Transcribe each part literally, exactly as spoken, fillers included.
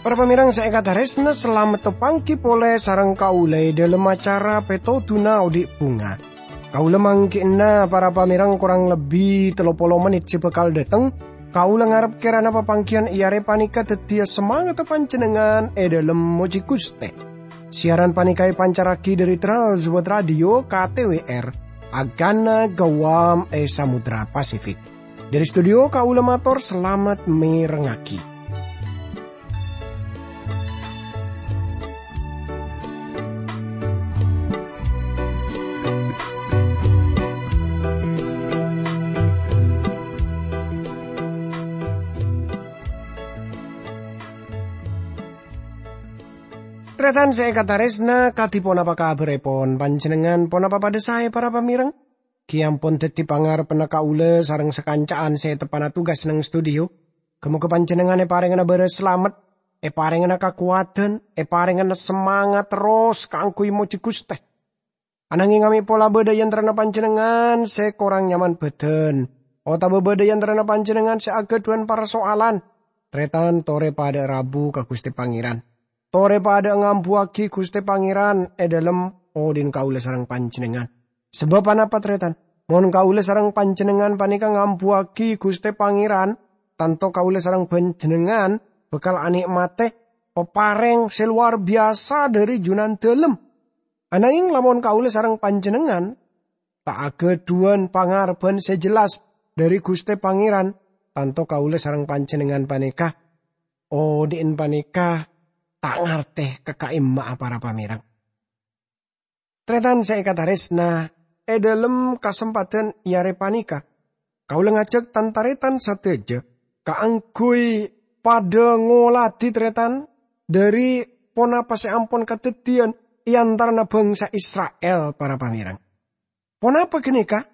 Para pamèrèng sè èkatarèsna, salamet tapangghi polè sareng kaulâ è dhâlem acara Pètodhuna Odi' Bhunga. Kaulâ mangghi'na para pamèrèng korang lebbi tello polo mennit sè bhâkal dhâteng. Kaulâ ngarep kèrana papangghiyân è arè panèka dhâddhiyâ samangatta panjhennengngan è dhâlem mojhi Ghustè. Siaran panèka èpancarraghi dhâri Trans World Radio K T W R, Agana Guam è Samudra Pasifik. Dhâri studio kaulâ mator salamet mèrengngaghi. Tarètan sè èkatarèsna, kadhi ponapa kabhârèpon? Panjhennengngan ponapa padhâ saè, para pamèrèng? Ghi' ampon dhâddhi pangarebbhânna kaulâ sareng sakanca'an sè teppa'na tugas neng studio. Ghâ-mogâ panjhennengngan èparèngana bârâs salamet, èparèngana kakowadhân, èparèngana samangat terros kaangghuy mojhi Ghustè. Ananghing amè' pola bâdâ è antarana panjhennengngan sè korang nyaman bhâdhân, otabâ bâdâ è antarana panjhennengngan sè aghâdhuwân parsoalan, tarètan torè padâ rabu ka Ghustè Pangèran. Torè padâ ngambuwâghi Ghustè Pangèran è dhâlem odhi'na kaulâ sareng panjhennengngan. Sabâb ponapa, tarètan? Mon kaulâ sareng panjhennengngan panèka ngambuwâghi Ghustè Pangèran, tanto kaulâ sareng panjhennengngan bhâkal anè'matè paparèng sè lowar biyasa dhâri Junandhâlem. Ananghing lamon kaulâ sareng panjhennengngan ta' aghâdhuwân pangarebbhân sè jelas dhâri Ghustè Pangèran, tanto kaulâ sareng panjhennengngan panèka, odhi'na panèka ta' ngartè ka ka'imma'a para pamèrèng. Tarètan sè èkatarèsna, è dhâlem kasempadhân è arè panèka, kaulâ ngajhâk tan-tarètan sadhâjâ kaangghuy padâ ngoladhi, tarètan, dhâri ponapa sè ampon kadhâddhiyân è antarana bhângsa Isra'il, para pamèrèng. Ponapa ghânèka?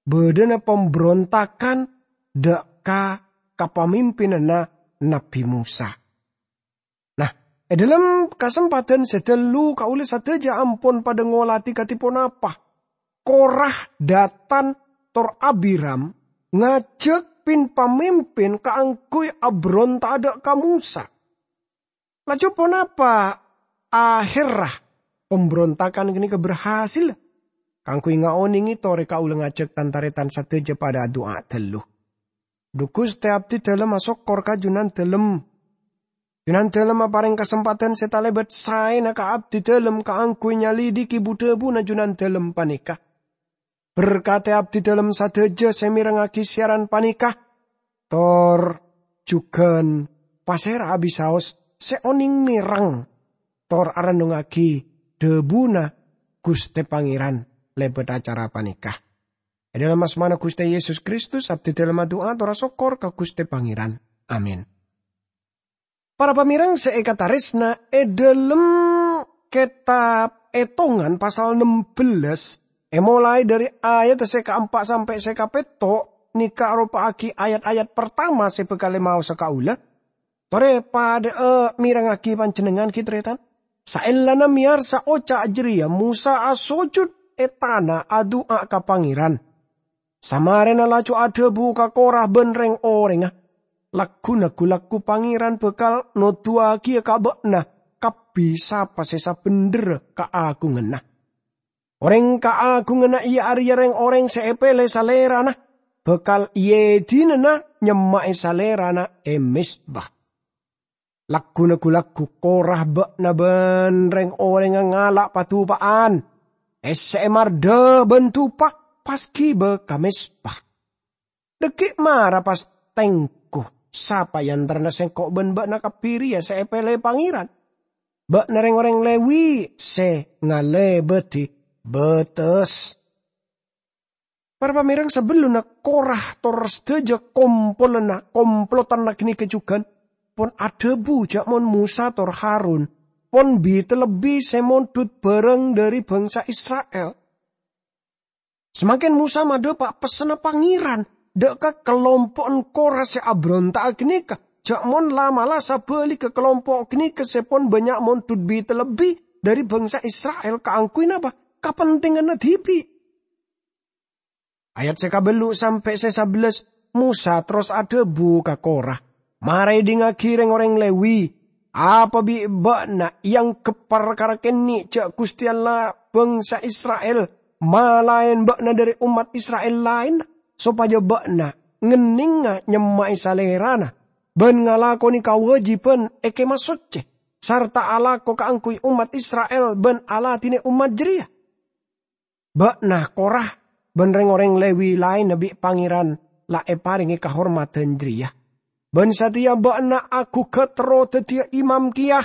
Bâdâna pambrontagan dâ' ka kapamimpinanna Nabbhi Mosa. Nah, è dhâlem kasempadhân sè ghâllu kaulâ sadhâjâ ampon padâ ngoladhi kadhi ponapa Korah, Datan, tor Abiram ngajhâk pin-pamimpin kaangghuy abronta'a dâ' ka Mosa. Laju ponapa ahèrra pambrontagan ghânèka berhasil? Kaangghuy ngaonèngè torè kaulâ ngajhâk tan-tarètan sadhâjâ padâ adu'a ghâllu. Dhu Ghustè, abdhidhâlem asokkor ka Junandhâlem. Junandhâlem aparèng kasempadhân sè talèbât saèna ka abdhidhâlem kaangghuy nyalidhiki bu-dhâbuna Junandhâlem panèka. Berkadhi abdhidhâlem sadhâjâ sè mèrengngaghi siaran panèka, tor jhughân pasèra'a bisaos sè onèng mèreng tor arennungngaghi dhâbuna Ghustè Pangèran lèbât acara panèka. È dhâlem asmana Ghustè Yesus Kristus, abdhidhâlem adu'a tor asokkor ka Ghustè Pangèran. Amin. Para pamèrèng sè èkatarèsna, è dhâlem Kètab Ètongan pasal nem bellâs, èmolaè dhâri ayat sè kaempa' sampè' sè kapètto', nèka aropa'aghi ayat-ayat partama sè bhâkal èmaosa kaulâ. Torè padâ'â mèrengngaghi panjhennengngan, ghi, tarètan. Saellana mèyarsa oca' jârèya, Mosa asojud è tana adu'a ka Pangèran. Samarèna laju adhâbu ka Korah bân rèng-orèngnga, "Lagghuna ghu-lagghu Pangèran bhâkal noduwaghiyâ ka bâ'na kabbhi sapa sè sabhendherra kaagunganna. Orèng kaagunganna iyâ arèya rèng-orèng sè èpèlè Salèrana, bhâkal èèdinana nyemma'è Salèrana è mezba." Lagghuna ghu-lagghu Korah bâ'na bân rèng-orèngnga ngala' padupa'an, essè'è mardhâ bân dupa, pas ghibâ ka mezba. Dhâggi' mara pas tèngghu sapa è antarana sèngko' bân bâ'na kabbhi rèya sè èpèlè Pangèran. Bâ'na rèng-orèng Lèwi sè ngalèbâdhi bâtes. Para pamèrèng, sabellunna Korah tor sadhâjâ kompolanna, komplotanna ghânèka jhughân, pon adhâbu jâ' mon Mosa tor Harun pon bi-, lebbi sè mondhut bhârâng dhâri bhângsa Isra'il. Samangkèn Mosa madhâpa' pessenna Pangèran dâ' ka kalompo'na Korah sè abronta'a ghânèka, ja' mon la mala sabâligghâ kalompo' ghânèka sè pon bânnya' mondhut bi-talebbi dhâri bhângsa Isra'il kaangghuy napa? Kapentinganna dhibi'. Ayat sè kabellu' sampè' sè sabellâs, Mosa terros adhâbu ka Kora, "Mara èdingngaghi rèng-orèng Lewi! Apa bi' bâ'na èangghep parkara kènè' ja' Ghustè Allah bhângsa Isra'il malaèn bâ'na dhâri ommat Isra'il laènna, sopajâ bâ'na ngennènga nyemma'è Salèrana bân ngalakonè kawâjibhân è Kèma Soccè, sarta alako kaangghuy ommat Isra'il bân aladhinè ommat jârèya?" Bâ'na, Kora, bân rèng-orèng Lewi laènna bi' Pangèran la èparèngè kahormadhân jârèya, bân satèya bâ'na aghugâ terro dhâddhiyâ imam kèya.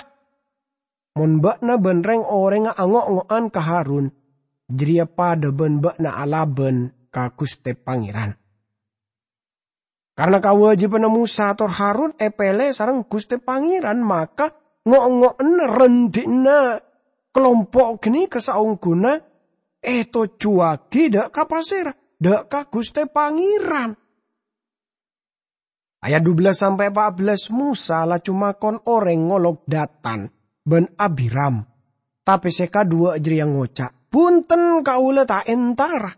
Mon bâ'na bân rèng-orèngnga ango'-ngo'an ka Harun, jârèya padâ bân bâ'na alabân ka Ghustè Pangèran. Karna kawâjibhânna Mosa tor Harun èpèlè sareng Ghustè Pangèran, maka ngo-ongngona rèndhi'na kalompo' ghânèka saongghuna ètojjhuwâghi dâ' ka pasèra? Dâ' ka Ghustè Pangèran. Ayat dubellâs sampè' pa'bellâs, Mosa laju makon orèng ngolok Datan bân Abiram, tapè sè kadhuwâ' jârèya ngoca', "Bhunten, kaulâ ta' entara."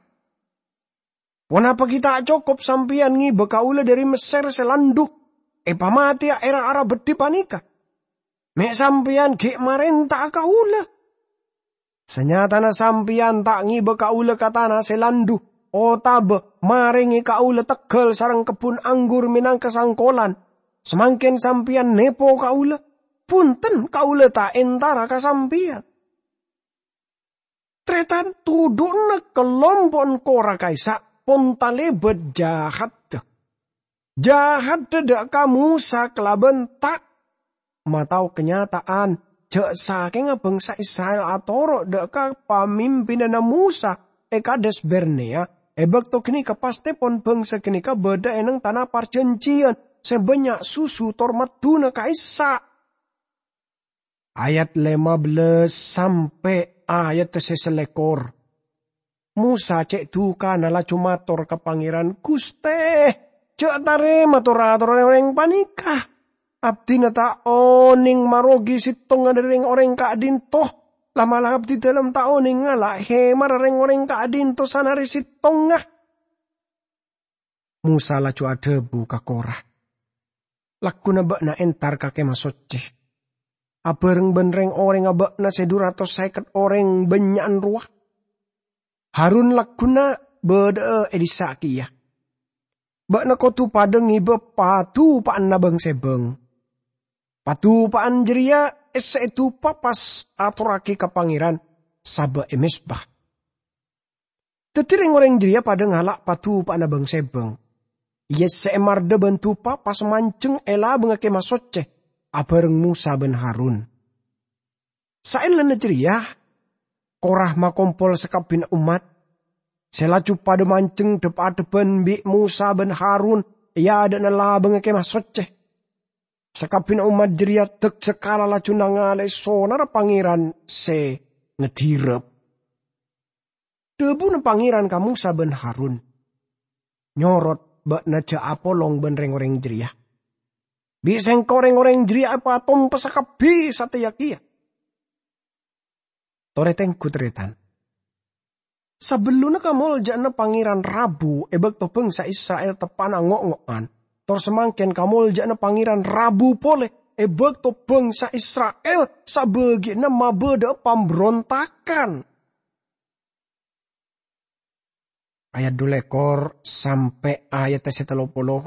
Ponapa ghi' ta' cokop sampèyan ngèbâ kaulâ dhâri Messèr sè landhu, èpamatèya è ra-ara beddhi panèka? Mè' sampèyan ghi' marènta'a kaulâ. Sanyatana sampèyan ta' ngèbâ kaulâ ka tana sè landhu, otabâ marèngè kaulâ tegghâl sareng kebbhun anggur mènangka sangkolan. Samangkèn sampèyan nèpo kaulâ. Bhunten, kaulâ ta' entara ka sampèyan. Tarètan, todu'na kalompo'na Kora ka'issa' pon talèbât jâhâddhâ. Jâhâddhâ dâ' ka Mosa kalabân ta' matao kanyata'an jâ' sakènga bhângsa Isra'il atoro' dâ' ka pamimpinanna Mosa è Kades Barnea, è bâkto ghânèka pastèpon bhângsa ghânèka bâdâ è neng tana parjhânjhiyân sè bânnya' susu tor madduna ka'issa'. Ayat lèma bellâs sampè' ayat sè sèlèkor. Mosa cè' dhukana laju mator ka Pangèran, "Ghustè, jâ' tarèma tor-atorra rèng-orèng panèka. Abdhina ta' onèng marogi sèttongnga dhâri rèng-orèng ka'dinto. La'-mala' abdhi dhâlem ta' onèng ngala' hèmarra rèng-orèng ka'dinto sanarè sèttongnga." Mosa laju adhâbu ka Kora, "Lagghuna bâ'na entar ka Kèma Soccè, abhâreng bân rèng-orèngnga bâ'na sè dhu ratos sèket orèng bânnya'an rowa. Harun lagghuna bâdâ'â è dissa' kèya. Bâ'na kodhu padâ ngèbâ padupa'anna bâng-sèbâng. Padupa'an jârèya èssè èdupa pas atorraghi ka Pangèran sabâ' è mezba." Dhâddhi rèng-orèng jârèya padâ ngala' padupa'anna bâng-sèbâng, èyessè'è mardhâ bân dupa pas manjheng è labângnga Kèma Soccè abhâreng Mosa bân Harun. Saellana jârèya, Kora makompol sakabbhiyânna ommat, sè laju padâ manjheng dhâp-adhâbbhân bi' Mosa bân Harun è adâ'na labângnga Kèma Soccè. Sakabbhiyânna ommat jârèya dâk-sèkala laju nangalè sonarra Pangèran sè ngadirâp. Dhâbuna Pangèran ka Mosa bân Harun, "Nyorot bâ'na jâ' apolong bân rèng-orèng jârèya. Bi' sèngko' rèng-orèng jârèya èpatompessa kabbhi satèya kèya." Torè tengghu, tarètan. Sabellunna kamoljâ'ânna Pangèran rabu è bâkto bhângsa Isra'il teppa'na ngo'-ngo'an, tor samangkèn kamoljâ'ânna Pangèran rabu polè è bâkto bhângsa Isra'il sabâgiyânna mabâdâ'â pambrontagan. Ayat dhu lèkor sampè' ayat sè tello polo.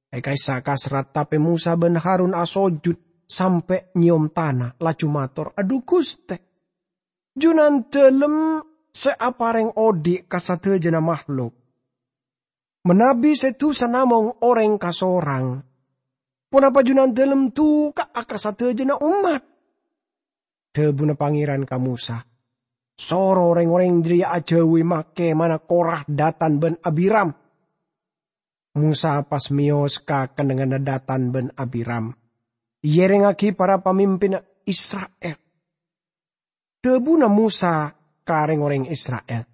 È ka'issa' kasrat, tapè Mosa bân Harun asojud sampè' nyèyom tana, laju mator, "Adhu Ghustè, Junandâlem sè aparèng odi' ka sadhâjâna mahlok. Manabi sè dhusa namong orèng kasorang, ponapa Junandâlem duka'a ka sadhâjâna ommat?" Dhâbuna Pangèran ka Mosa, "Soro rèng-orèng jârèya ajâuwi ma-, kèmana Kora, Datan bân Abiram." Mosa pas mèyos ka kennengnganna Datan bân Abiram, èyèrèngngaghi para pamimpinna Isra'il. Dhâbuna Mosa ka rèng-orèng Isra'il,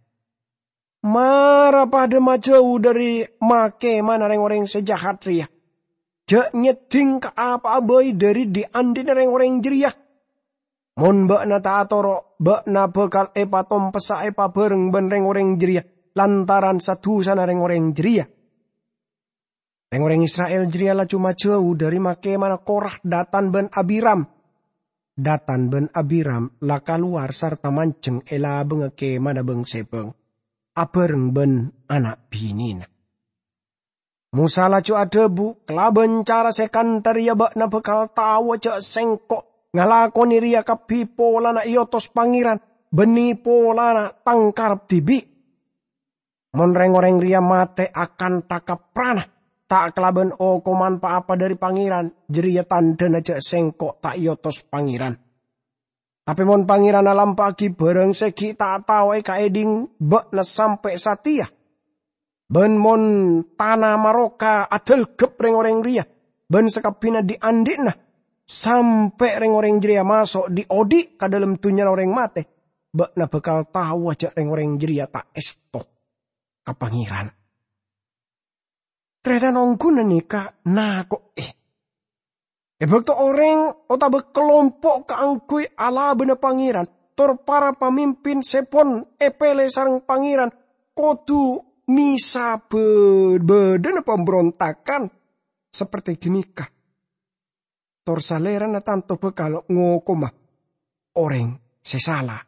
"Mara padâ majâu dhâri ma-, kèmana rèng-orèng sè jahat rèya. Ja' nyeddhing ka apa'a bhâi dhâri dhi'-andhi'na rèng-orèng jârèya. Mon bâ'na ta' atoro', bâ'na bhâkal èpatompessa èpabhâreng bân rèng-orèng jârèya lantaran sa-dusana rèng-orèng jârèya." Rèng-orèng Isra'il jârèya laju majâu dhâri ma-, kemana Korah, Datan bân Abiram. Datan bân Abiram la kalowar sarta manjheng è labângnga kemana bâng-sèbâng, abhâreng bân ana' binèna. Mosa laju adhâbu, "Kalabân cara sè kantha rèya bâ'na bhâkal taowa ja' sèngko' ngalakonè rèya kabbhi polana èotos Pangèran, bânnè polana tang karep dhibi'. Mon rèng-orèng rèya matè akantha kaprana, ta' kalabân okoman pa-apa dhâri Pangèran, jârèya tandhâna ja' sèngko' ta' èotos Pangèran. Tapè mon Pangèran alampa'aghi bhârâng sè ghi' ta' tao èkaèdhing bâ'na sampè' satèya, bân mon tana maroka adhâlghep rèng-orèng rèya bân sakabbhiyânna dhi'-andhi'na, sampè' rèng-orèng jârèya maso' dhi'-odhi' ka dhâlem dhunnyana orèng matè, bâ'na bhâkal taowa ja' rèng-orèng jârèya ta' èsto ka Pangèran." Tarètan ongghu ghânèka nako'è. È bâkto orèng otabâ kalompo' kaangghuy alabâna Pangèran, tor para pamimpin sè pon èpèlè sareng Pangèran kodhu mèsa bâ-, bâdâna pambrontagan saperti ghânèka, tor Salèrana tanto bhâkal ngokoma orèng sè sala.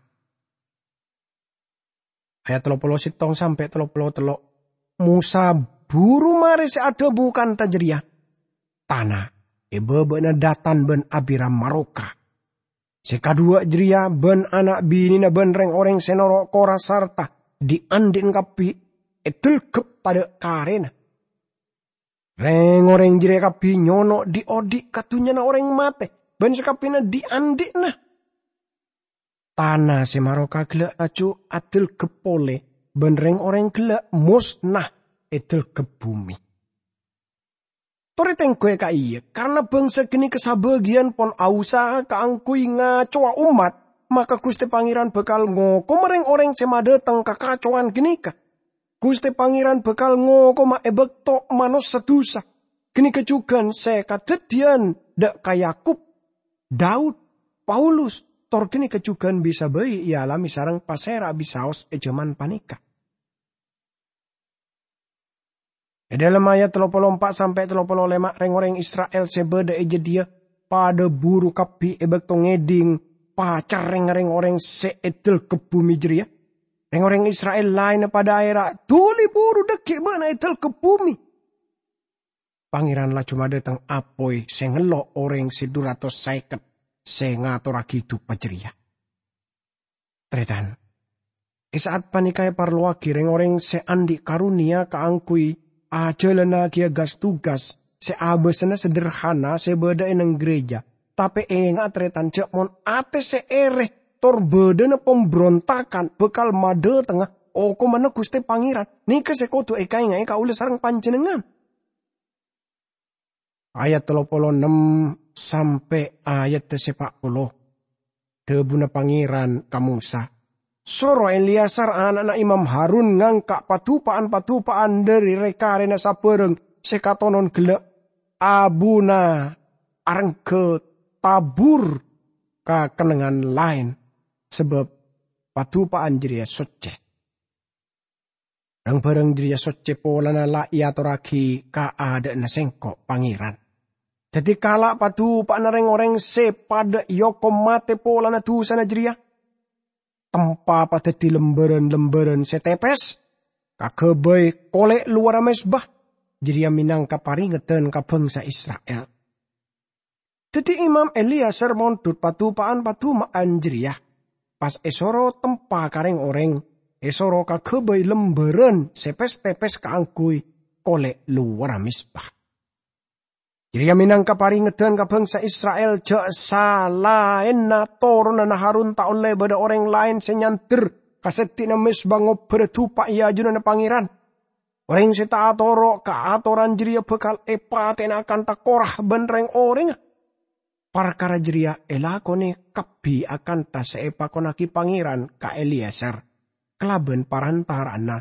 Ayat tello polo sèttong sampè' tello polo tello'. Mosa buru marè sè adhâbu kantha jârèya, tana è bâbâ'na Datan bân Abiram maroka. Sè kadhuwâ' jârèya bân ana' binèna bân rèng-orèng sè noro' Korah sarta dhi'-andhi'na kabbhi èdhâlghep tadâ' karèna. Rèng-orèng jârèya kabbhi nyono' dhi'-odhi' ka dhunnyana orèng matè bân sakabbhiyânna dhi'-andhi'na. Tana sè maroka ghellâ' laju adhâlghep polè, bân rèng-orèng ghellâ' mosna èdhâlghep bhumè. Torè tèngghuwâ ka'iyâ, karana bhângsa ghânèka sabâgiyân pon ausaha kaangghuy ngacowa ommat, maka Ghustè Pangèran bhâkal ngokoma rèng-orèng sè madhâteng kakacowan ghânèka. Ghustè Pangèran bhâkal ngokoma è bâkto manossa dusa. Ghânèka jhughân sè kadhâddhiyân dâ' ka Yakub, Daud, Paulus, tor ghânèka jhughân bisa bhâi èalamè sareng pasèra bisaos è jhâman panèka. È dhâlem ayat tello polo empa' sampè' tello polo lèma', rèng-orèng Isra'il sè bâdâ è jâdiyâ padâ buru kabbhi è bâkto ngèdhing pacerrèngnga rèng-orèng sè èdhâlghep bhumè jârèya. Rèng-orèng Isra'il laènna padâ aèra', "Dhuli buru dhâggi' bâ'na èdhâlghep bhumè!" Pangèran laju madhâteng apoy sè ngello' orèng sè dhu ratos sèket sè ngatorraghi dupa jârèya. Tarètan, è sa'at panèka èparlowaghi rèng-orèng sè andi' karonèya kaangghuy ajhâlânnaghi gas-tugas sè abâsana sederhana sè bâdâ è neng gereja. Tapè ènga'a, tarètan, jhâ' mon atè sè èrè tor bâdâna pambrontagan bhâkal madhâtengnga okomanna Ghustè Pangèran. Nèka sè kodhu èkaènga'è kaulâ sareng panjhennengngan. Ayat tello polo ennem sampè' ayat sè pa' polo. Dhâbuna Pangèran ka Mosa, "Soro Eleazar ana'na Imam Harun ngangka' padupa'an-padupa'an dhâri rè-karèna sabârâng sè katonon ghellâ', abuna arengghâ tabur ka kennengngan laèn, sabâb padupa'an jârèya soccè." Rang-bhârâng jârèya soccè polana la èatorraghi ka adâ'na Sèngko' Pangèran. Dhâddhi kala' padupa'anna rèng-orèng sè padâ èokom matè polana dusana jârèya. Tempa padhâddhi lembârân-lembârân sè tèpès, kaghâbây kolè' lowarra mezba, jârèya mènangka parèngeddhân ka bhângsa Isra'il. Dhâddhi Imam Eleazar mondhut padupa'an-paduma'an jârèya, pas èsoro tempa ka rèng-orèng, èsoro kaghâbây lembârân sè pès-tèpès kaangghuy kolè' lowarra mezba. Jârèya mènangka parèngeddhân ka bhângsa Isra'il jhâ' salaènna toronanna Harun ta' ollè bâdâ orèng laèn sè nyandher ka sèddhi'na mezba ngobbhârâ dupa è ajunanna Pangèran. Orèng sè ta' atoro' ka atoran jârèya bhâkal èpatè'ana akantha Kora bân rèng-orèngnga. Parkara jârèya èlakonè kabbhi akantha sè èpakonnaghi Pangèran ka Eleazar kalabân parantara'anna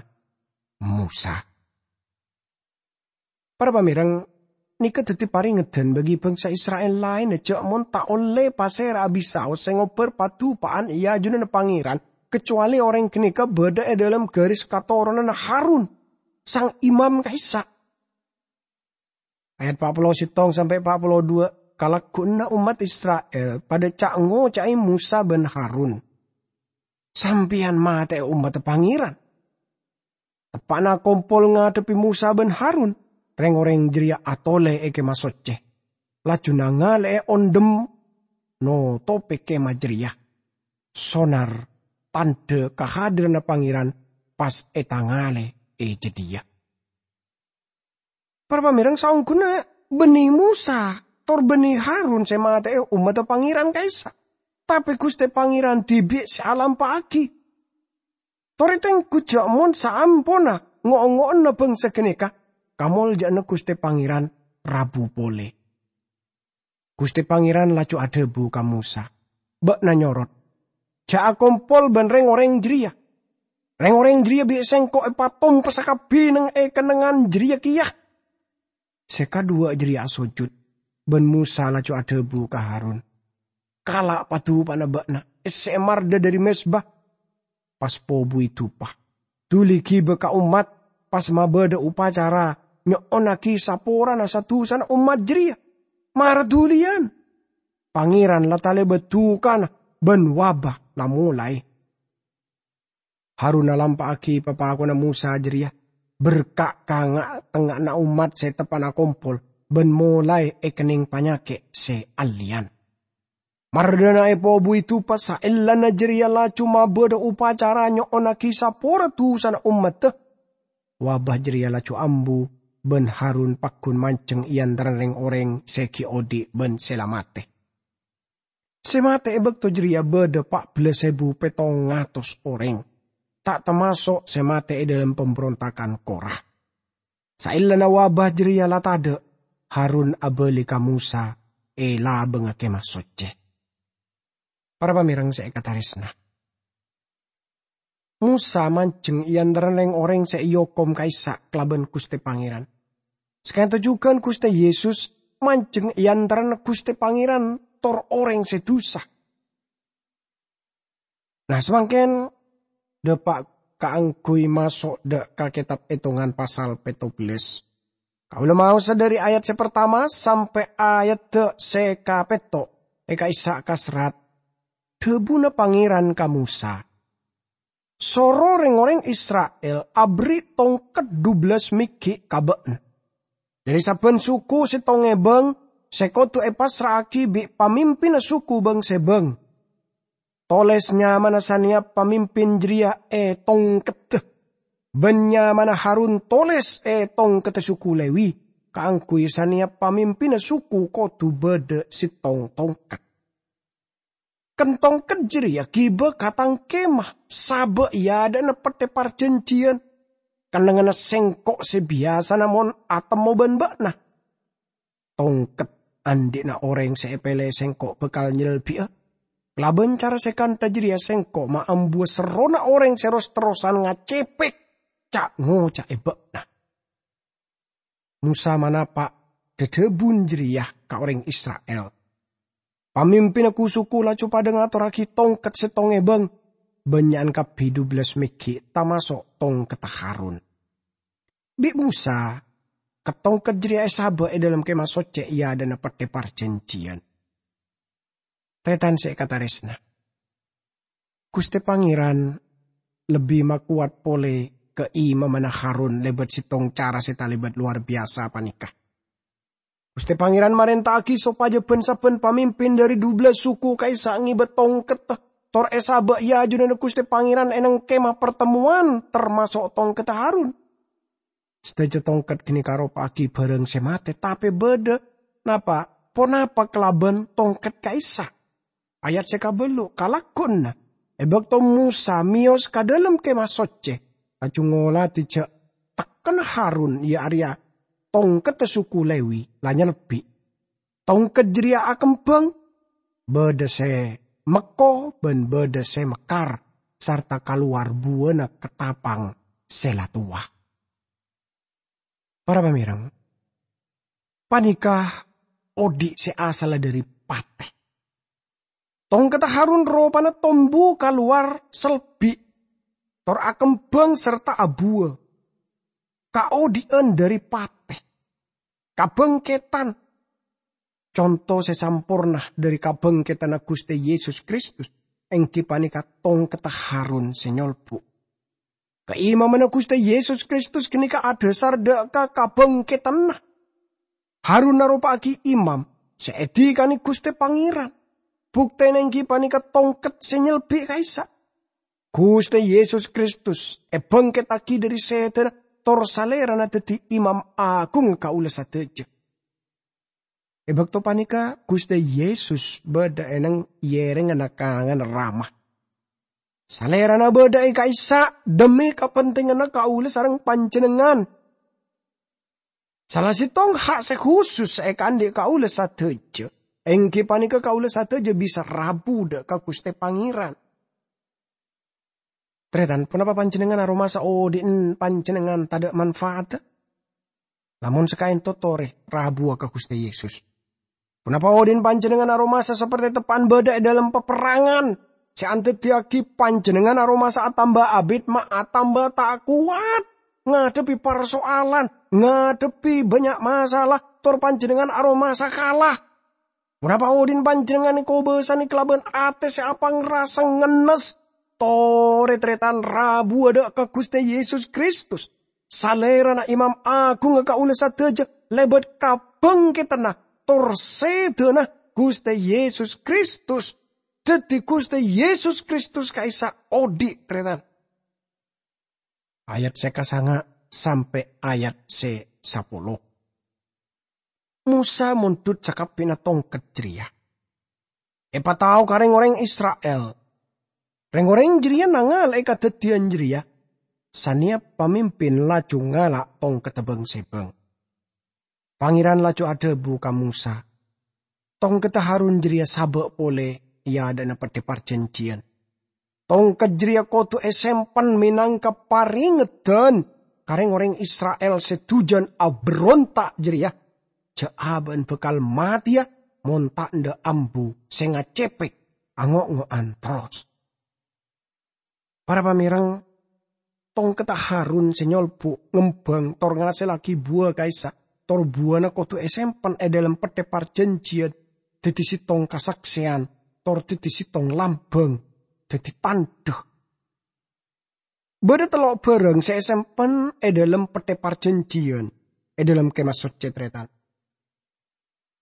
Mosa. Para pamèreng, Nèka dhâddhi parèngedhân bagi bhângsa Isra'il laènna jhâ' mon ta' ollè pasèra'a bisaos sè ngobbhâr padupa'an è ajunanna Pangèran, kacowalè orèng ghânèka bâdâ è dhâlem ghâris katoronanna Harun, sang imam ka'issa'. Ayat pa' polo sèttong sampè' pa' polo duwâ', kalagghuwânna ommat Isra'il padâ ca'-ngoca'è Mosa bân Harun, "Sampèyan matè'è ommaddhâ Pangèran." Teppa'na akompol ngadhebbhi Mosa bân Harun, rèng-orèng jârèya atolè è Kèma Soccè, laju nangalè'è ondhem notopè kèma jârèya. Sonar tandhâ kahadiranna Pangèran pas ètangalè è jâdiyâ. Para pamèreng, saongghuna bânnè Mosa tor bânnè Harun sè matè'è ommaddhâ Pangèran ka'issa', tapè Ghustè Pangèran dhibi' sè alampa'aghi. Torè tengghu jhâ' mon saamponna ngo'-ongo'anna bhângsa ghânèka, kamoljâ'ânna Ghustè Pangèran rabu polè. Ghustè Pangèran laju adhâbu ka Mosa, "Bâ'na nyorot, jhâ' akompol bân rèng-orèng jârèya. Rèng-orèng jârèya bi' Sèngko' èpatompessa kabbhi neng è kennengngan jârèya kèya." Sè kaduwâ' jârèya asojud, bân Mosa laju adhâbu ka Harun, "Kala' padupa'anna bâ'na, èssè'è mardhâ dhâri mezba, pas pobuwi dupa. Dhuli ghibâ ka ommat, pas mabâdâ opacara nyo'onnaghi saporana sa-dusana ommat jârèya. Mara dhuliyân! Pangèran la talèbât dukana bân wabâ la molaè." Harun alampa'aghi papakonna Mosa jârèya, berka' ka nga'-tengnga'anna ommat sè teppa'na akompol, bân molaè èkennèng panyakè' sè allèyan. Mardhâna èpobuwi dupa, saellana jârèya laju mabâdâ opacara nyo'onnaghi sapora dusana ommaddhâ. Wabâ jârèya laju ambu, bân Harun paggun manjheng è antarana rèng-orèng sè ghi' odi' bân sè la matè. Sè matè è bâkto jârèya bâdâ pa' bellâs èbu pèttong atos orèng, ta' tamaso' sè matè è dhâlem pambrontagan Kora. Saellana wabâ jârèya la tadâ', Harun abâli ka Mosa è labângnga Kèma Soccè. Para pamèreng sè èkatarèsna, Mosa manjheng è antarana rèng-orèng sè èokom ka'issa' kalabân Ghustè Pangèran. Saka'dinto jhughân Ghustè Yesus manjheng è antarana Ghustè Pangèran tor orèng sè dusa. Nah, samangkèn dâpa' kaangghuy maso' dâ' ka Kètab Ètongan pasal pètto bellâs. Kaulâ maosa dhâri ayat sè partama sampè' ayat sè kapètto' è ka'issa' kaserrat. Dhâbuna Pangèran ka Mosa, "Soro rèng-orèng Isra'il aberri' tongket dubellâs meggi' ka bâ'na. Dhâri sabbhân suku sèttong èbâng sè kodhu èpassra'aghi bi' pamimpinna suku bâng-sèbâng. Tolès nyamana sanèyap pamimpin jârèya è tongkedda, bân nyamana Harun tolès è tongkedda suku Lewi, kaangghuy sanèyap pamimpinna suku kodhu bâdâ sèttong tongket. Kèng tongket jârèya ghibâ ka Tang Kèma, sabâ' è adâ'na Pettè Parjhânjhiyân, kennengnganna Sèngko' sè biyasana mon atemmo bân bâ'na. Tongket andi'na orèng sè èpèlè Sèngko' bhâkal nyelbi'â. Kalabân cara sè kantha jârèya Sèngko' maambuwâ serrona orèng sè ros-terrosan ngacepek ca'-ngoca'è bâ'na." Mosa manapa' dhâdhâbun jârèya ka orèng Isra'il. Pamimpinna ku-suku laju padâ ngatorraghi tongket sèttong èbâng, bânnya'an kabbhi dubellâs meggi', tamaso' tongkedda Harun. Bi' Mosa, ket-tongket jârèya èsabâ' è dhâlem Kèma Soccè è adâ'na Pettè Parjhânjhiyân. Tarètan sè èkatarèsna, Ghustè Pangèran lebbi makowat polè kaimamanna Harun lèbât sèttong cara sè talèbât lowar biyasa panèka. Ghustè Pangèran marènta'aghi sopajâ bân-sabbhân pamimpin dhâri dubellâs suku ka'issa' ngèbâ tongket, tor èsabâ' è ajunanna Ghustè Pangèran è neng Kèma Partemmowan, tamaso' tongkedda Harun. Sadhâjâ tongket ghânèka aropa'aghi bhârâng sè matè, tapè bâdâ napa, ponapa kalabân tongket ka'issa'? Ayat sè kabâllu', kalagghuwânna, è bâkto Mosa mèyos ka dhâlem Kèma Soccè, laju ngolatè jhâ' tekkenna Harun, iyâ arèya tongkedda suku Lewi, la nyelbi'. Tongket jârèya akembhâng, bâdâ sè mekko bân bâdâ sè mekkar, sarta kalowar buwâna katapang sè la towa. Para pamèreng, Panèka odi' sè asalla dhâri patè. Tongkedda Harun ropana tombu kalowar selbi', tor akembhâng sarta abuwâ. Kaodi'ân dhâri patè. Kabhângkèdhân. Conto sè samporna dhâri kabhângkèdhânna Ghustè Yesus Kristus èngghi panèka tongkedda Harun sè nyolbu'. Kaimamanna Ghustè Yesus Kristus ghânèka adhâsar dhâ' ka kabhângkèdhânna. Harun aropa'aghi imam sè èdhikanè Ghustè Pangèran. Buktèna èngghi panèka tongket sè nyelbi' ka'issa'. Ghustè Yesus Kristus èbhângkèttaghi dhâri sèdhâna tor Salèrana dhâddhi Imam Aghungnga kaulâ sadhâjâ. È bâkto panèka Ghustè Yesus bâdâ è neng yèrèngnganna kanganna Rama. Salèrana bâdâ è ka'issa' dhemmi kapentinganna kaulâ sareng panjhennengngan. Sala sèttong ha' sè khusus sè èkaandi' kaulâ sadhâjâ, èngghi panèka kaulâ sadhâjâ bisa rabu dhâ' ka Ghustè Pangèran. Tarètan, ponapa panjhennengngan aromasa odi'na panjhennengngan tadâ' manfaatta? Lamon sakaènto torè rabuwâ ka Ghustè Yesus. Ponapa odi'na panjhennengngan aromasa saperte teppa'na bâdâ è dâlem paperrangan sè andhâddhiyâghi panjhennengngan aromasa atamba abit ma' atamba ta' kowat ngadhebbhi parsoalan, ngadhebbhi bânnya' masalah, tor panjhennengngan aromasa kala? Ponapa odi'na panjhennengngan èkobâsanè kalabân atè sè apangrasa ngennes? Torè, tarètan, rabuwâ dhâ' ka Ghustè Yesus Kristus, Salèrana Imam Aghungnga kaulâ sadhâjâ, lèbât kabhângkèdhânna tor sèdhâna Ghustè Yesus Kristus. Dhâddhi, Ghustè Yesus Kristus ka'issa' odi', tarètan. Ayat sè kasanga' sampè' ayat sè sapolo. Mosa mondhut sakabbhina tongket jârèya, èpatao ka rèng-orèng Isra'il. Rèng-orèng jârèya nangala'è kadhâddhiyân jârèya, sanèya pamimpin laju ngala' tongkedda bâng-sèbâng. Pangèran laju adhâbu ka Mosa, "Tongkedda Harun jârèya sabâ' polè è adâ'na Peddhâ Parjhânjhiyân. Tongket jârèya kodhu èsempen mènangka parèngeddhân ka rèng-orèng Isra'il sè dhujân aberronta' jârèya, jâ' abâ'na bhâkal matèya mon ta' endâ' ambu sè ngacèpèk ango'-ngo'an terros." Para pamèreng, tongkedda Harun sè nyolbu' ngembhâng tor ngasellaghi buwâ ka'issa', tor buwâna kodhu èsempen è dâlem Peddhâ Parjhânjhiyân, dhâddhi sèttong kasaksèyan, tor dhâddhi sèttong lambâng, dhâddhi tandhâ. Bâdâ tello' bhârâng sè èsempen è dâlem Peddhâ Parjhânjhiyân, è dâlem Kemah Soccè, tarètan.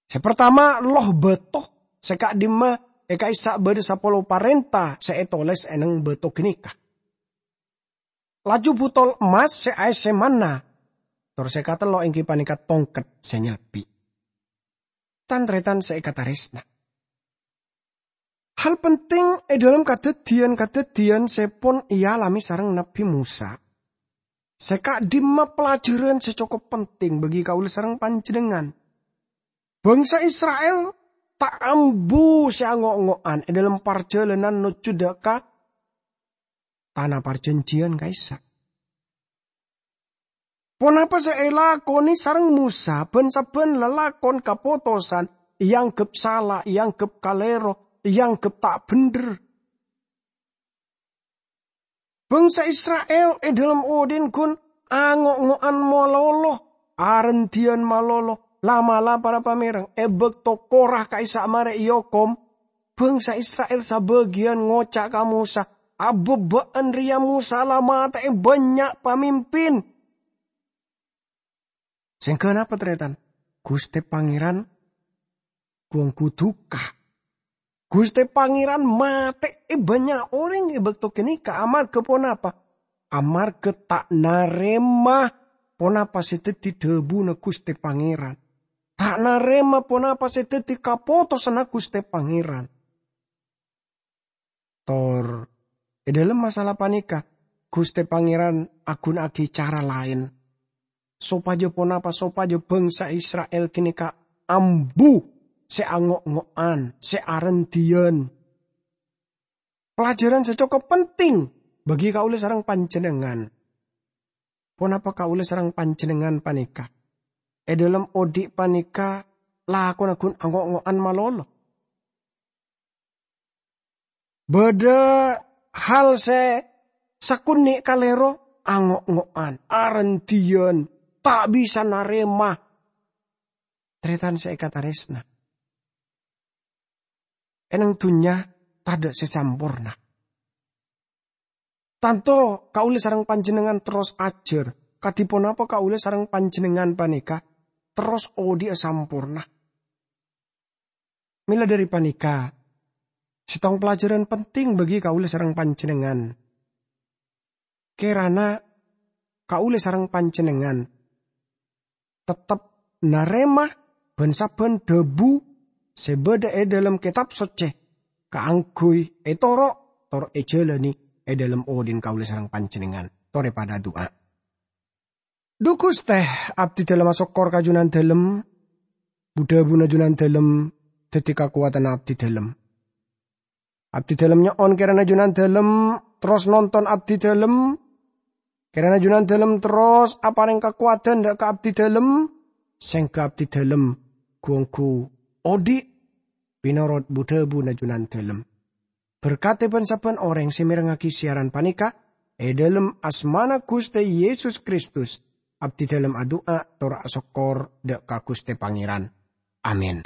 Sè partama, loh bâto, sè ka'dimma è ka'issa' bâdâ sapolo parènta sè ètolès è neng bâto ghânèka. Laju butol emmas sè aèssè manna, tor sè katello' èngghi panèka tongket sè nyelbi'. Tan-tarètan sè èkatarèsna. Hal penting è dâlem kadhâddhiyân-kadhâddhiyân sè pon èalamè sareng Nabbhi Mosa, sè ka'dimma pelajaran sè cokop penting bagi kaulâ sareng panjhennengngan. Bangsa Isra'il ta' ambu sè ango'-ngo'an è dâlem parjhâlânan nojjhu dâ' ka Tana Parjhânjhiyân ka'issa'. Ponapa sè èlakonè sareng Mosa bân sabbhân lalakon kapotosan èangghep sala, èangghep kalèro, èangghep ta' bhendher? Bangsa Isra'il è dâlem odi'na ghun ango'-ngo'an malolo, arendhiyân malolo, la'-mala' para pamèreng è bâkto Korah ka'issa' marè èokom, bangsa Isra'il sabâgiyân ngoca' ka Mosa, "Abâ' bâ'na rèya Mosa la matè'è bânnya' pamimpin." Sèngghâ napa, tarètan? Ghustè Pangèran gu-ongghu duka. Ghustè Pangèran matè'è bânnya' orèng è bâkto ghânèka amarghâ ponapa? Amarghâ ta' narèma ponapa sè dhâddhi dhâbuna Ghustè Pangèran. Ta' narèma ponapa sè dhâddhi kapotosanna Ghustè Pangèran. Tor, è dâlem masalah panèka, Ghustè Pangèran aghunaaghi cara laèn, sopajâ ponapa? Sopajâ bangsa Isra'il ghânèka ambu sè ango'-ngo'an, sè arendhiyân. Pelajaran sè cokop penting bagi kaulâ sareng panjhennengngan. Ponapa kaulâ sareng panjhennengngan panèka è dhâlem odi' panèka lakona ghun ango'-ngo'an malolo. Bâdâ hal sè sakonè' kalèro, ango'-ngo'an, arendhiyân, ta' bisa narèma. Tarètan sè èkatarèsna, è nèng dhunnya tadâ' sè samporna. Tanto kaulâ sareng panjhennengngan terros ajhâr, kadhi ponapa kaulâ sareng panjhennengngan panèka terros odi'â samporna. Mèla dhâri panèka, sèttong pelajaran penting bagi kaulâ sareng panjhennengngan. Kèrana kaulâ sareng panjhennengngan tettep narèma bân-sabbhân dhâbu sè bâdâ è dhâlem Kètab Soccè kaangghuy ètoro' tor èjhâlâni è dhâlem odi'na kaulâ sareng panjhennengngan. Torè padâ adu'a. Dhu Ghustè, abdhi dhâlem asokkor ka Jhunandhâlem, bu-dhâbuna Jhunandhâlem dhâddhi kakowadhânna abdhi dhâlem. Abdhi dhâlem nyo'on kèrana Jhunandhâlem terros nonton abdhi dhâlem. Kèrana Jhunandhâlem terros aparèng kakowadhân dâ' ka abdhi dhâlem, sèngghâ abdhi dhâlem ghu-ongghu odi' mènorot bu-dhâbuna Jhunandhâlem. Berkadhi bân-sabbhân orèng sè mèrengngaghi siyaran panèka, è dhâlem asmana Ghustè Yesus Kristus, abdhi dhâlem adu'a tor asokkor dâ' ka Ghustè Pangèran. Amin.